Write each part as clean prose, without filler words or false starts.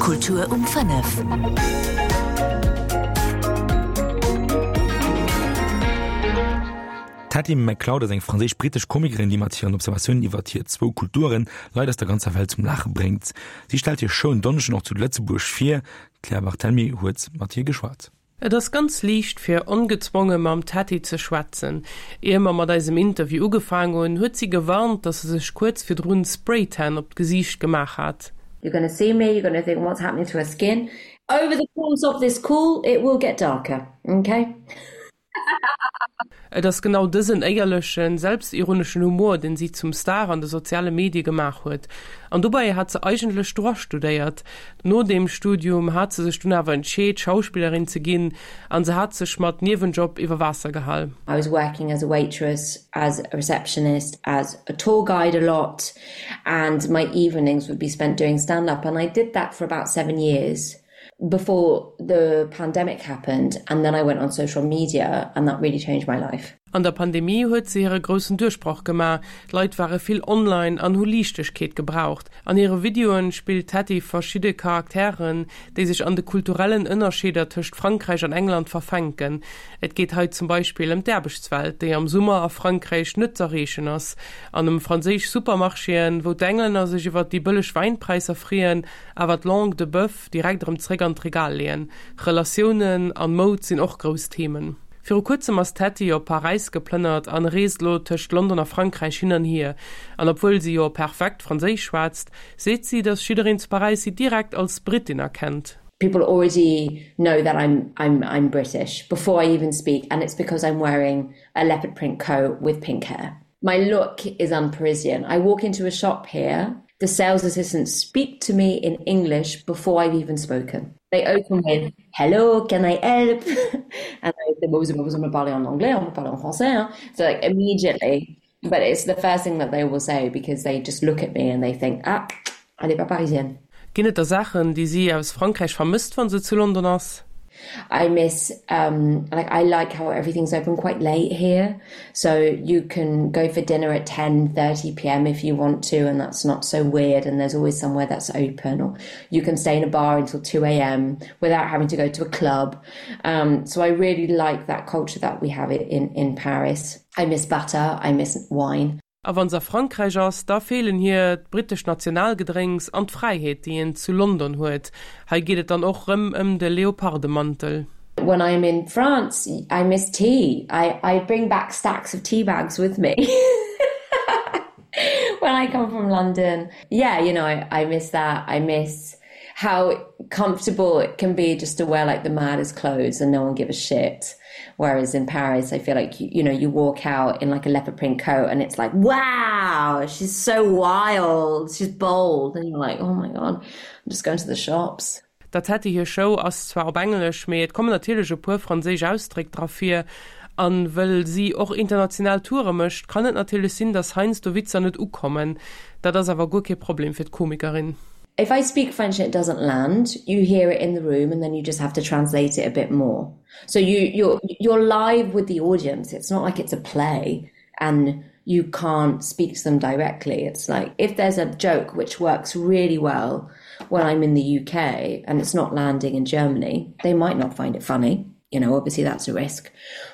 Kultur um 5. D'Hattie McCloud ass eng franséisch-brittesch Komikerin, déi mat hiren Observatiounen iwwert hir zwou Kulturen Leit aus der ganzer Welt zum Laache bréngt. Si stellt hir Show en Donneschden och zu Lëtzebuerg vir. D'Claire Barthelmy huet mat hir geschwat. Et ass ganz liicht fir ongezwonge mam Teddy ze schwätzen. Ier mer mat eisem Interview ugefaang hunn, huet si gewarnt, dass se sech kuerz virdrun Spraytan op d'Gesiicht gemaach hat. You're gonna see me, you're gonna think what's happening to her skin? Over the course of this call it will get darker, okay? Et ass genau dësen éierlechen, selbstironeschen Humor, deen si zum Star an de soziale Medie gemaach huet. An dobäi hat se eigentlech Droit studéiert. No deem Studium hat se sech dunn awer entscheet, Schauspillerin ze ginn an se hat sech mat Niewenjob iwwer Waasser gehal. I was working as a waitress, as a receptionist, as a tour guide a lot and my evenings would be spent doing stand up and I did that for about seven years. before the pandemic happened and then I went on social media and that really changed my life. An der Pandemie huet se hire groussen Duerchbroch gemaach, d'Leit ware vill online an hu Liichtegkeet gebraucht. An hire Videoen spillt d'Hattie verschidde Charakteren, déi sech an de kulturellen Ënnerscheeder tëscht Frankräich an England verfänken. Et geet hei zum Beispill ëm d'Aarbechtswelt, déi am Summer a Frankräich net z'erreechen ass, an ëm franséisch Supermarchéen, wou d'Englänner sech iwwer déi bëlleg Wäinpräisser freeën, Awer d'Langue de boeuf direkt erëm zréck an d'Regal leeën. Relatiounen an Moud sinn och grouss Themen. Viru kuerzem ass d'Hetty op Paräis geplënnert an reest elo tëscht London a Frankräich hin an hier. An obwuel si jo perfekt Franséisch schwätzt, seet si, dass jiddereen zu Paräis si direkt als Brittin erkennt. People already know that I'm I'm I'm British before I even speak and it's because I'm wearing a leopard print coat with pink hair. My look is un-Parisian. I walk into a shop here, the sales assistants speak to me in English before I've even spoken. They open with hello, can I help? And I say, well, vous me parler en anglais, on me parler en français. Hein? So like immediately, but it's the first thing that they will say because they just look at me and they think, ah, elle est pas parisienne. Ginn et da Saachen, déi si aus Frankräich vermësst, wa se zu London ass? I miss um, like I like how everything's open quite late here so you can go for dinner at 10:30 p.m. if you want to and that's not so weird and there's always somewhere that's open or you can stay in a bar until 2 a.m. without having to go to a club um, so I really like that culture that we have it in in Paris. I miss butter, I miss wine. A wann se a Frankräich ass, da feelen hir d'brittesch Nationalgedrénks an d'Fräiheet, déi een zu London huet. Hei geet et dann och rëm ëm de Leopardemantel. When I'm in France, I miss tea. I, I bring back stacks of tea bags with me. When I come from London. Yeah, you know, I, I miss that. I miss how comfortable it can be just to wear like the maddest clothes and no one give a shit. Whereas in Paris, I feel like, you, you know, you walk out in like a leopard print coat and it's like, wow, she's so wild, she's bold. And you're like, oh my God, I'm just going to the shops. Der Tätte hir Show ass zwar op Englesch, mee et kommen natierlech e puer franséisch Ausdréck dra vir. An wëll si och international Toure mécht, kann et natierlech sinn, dass heiansdo Witzer net ukommen. Dat ass awer guer kee Problem fir d'Komikerin. If I speak French and it doesn't land, you hear it in the room and then you just have to translate it a bit more. So you you're you're live with the audience. It's not like it's a play and you can't speak to them directly. It's like if there's a joke which works really well when I'm in the UK and it's not landing in Germany, they might not find it funny. You know, obviously that's a risk.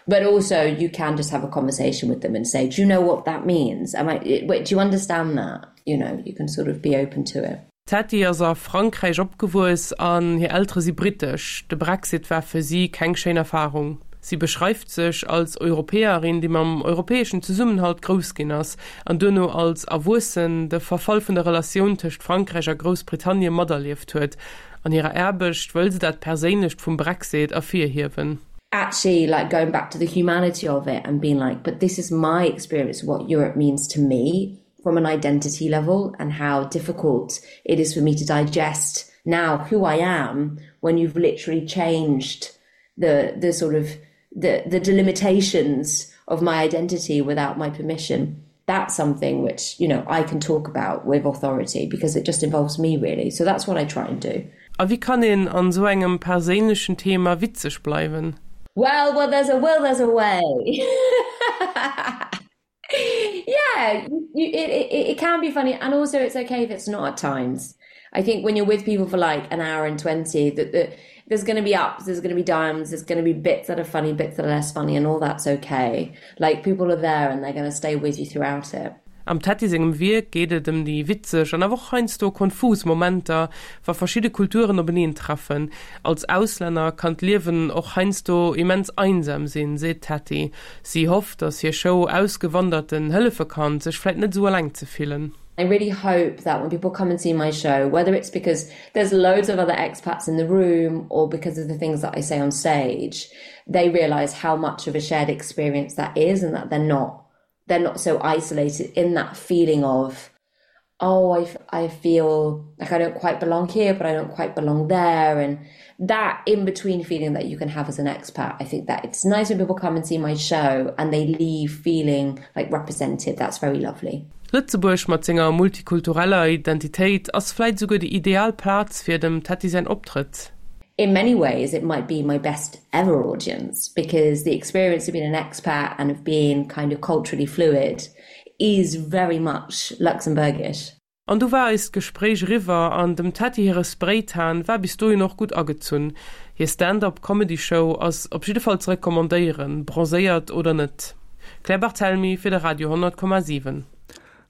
But also you can just have a conversation with them and say, do you know what that means? Am I, wait, do you understand that? You know, you can sort of be open to it. D'Hetty ass a Frankräich opgewuess an hir Eltere si brittesch. De Brexit war fir si keng schéin Erfarung. Si beschreift sech als Europäerin, déi mam europäeschen Zesummenhalt grouss ginn ass an duerno als Erwuessen de Verfall vun der Relatioun tëscht Frankräich a Groussbritannie materlieft huet. An hirer Aarbecht wëll se dat Perséinlecht vum Brexit ervirhiewen. Actually like going back to the humanity of it and being like, but this is my experience of what Europe means to me from an identity level and how difficult it is for me to digest now who I am when you've literally changed the the sort of the the delimitations of my identity without my permission. That's something which you know I can talk about with authority because it just involves me really. So that's what I try and do. A wéi kann een an esou engem perséinlechen Thema witzeg bleiwen? Well, well there's a will, there's a way. Yeah, you, it, it, it can be funny and also it's okay if it's not at times. I think when you're with people for like an hour and 20 that the, there's going to be ups, there's going to be downs, there's going to be bits that are funny, bits that are less funny and all that's okay. Like people are there and they're going to stay with you throughout it. Am Teddy sengem Wierk geet et ëm déi witzeg an awer och heiansdo konfus Momenter, wa verschidde Kulturen openeen treffen. Als Auslänner kann d'Liewen och heiansdo immens einsam sinn, seet d'Teddy. Si hofft, datt hir Show Ausgewanderten hëllefe kann, sech vläit net esou eleng ze fillen. I really hope that when people come and see my show, whether it's because there's loads of other expats in the room or because of the things that I say on stage, they realize how much of a shared experience that is and that they're not they're not so isolated in that feeling of oh I, I feel like I don't quite belong here but I don't quite belong there and that in between feeling that you can have as an expat I think that it's nice when people come and see my show and they leave feeling like represented that's very lovely. Lëtzebuerg mat senger multikultureller Identitéit ass vläit esouguer déi ideal Plaz fir dem Teddy säin Optrëtt. In many ways it might be my best ever audience because the experience of being an expat and of being kind of culturally fluid is very much Luxembourgish. An du war eist Gespréich eriwwer an dem Teddy hire Spraytan war bis dohin och gutt agezunn. Hir Stand-up Comedy Show ass op jidde Fall ze recommandéieren, bronzéiert oder net. Claire Barthelmy fir de Radio 100,7.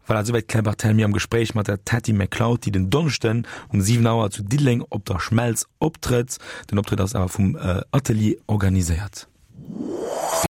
Voilà, esouwäit d'Claire Barthelmy am Gespréich mat der Teddy McLeod, déi den Donneschden um 7 Auer zu Diddeleng op der Schmelz optrëtt. Den Optrëtt ass awer vum Atelier organiséiert.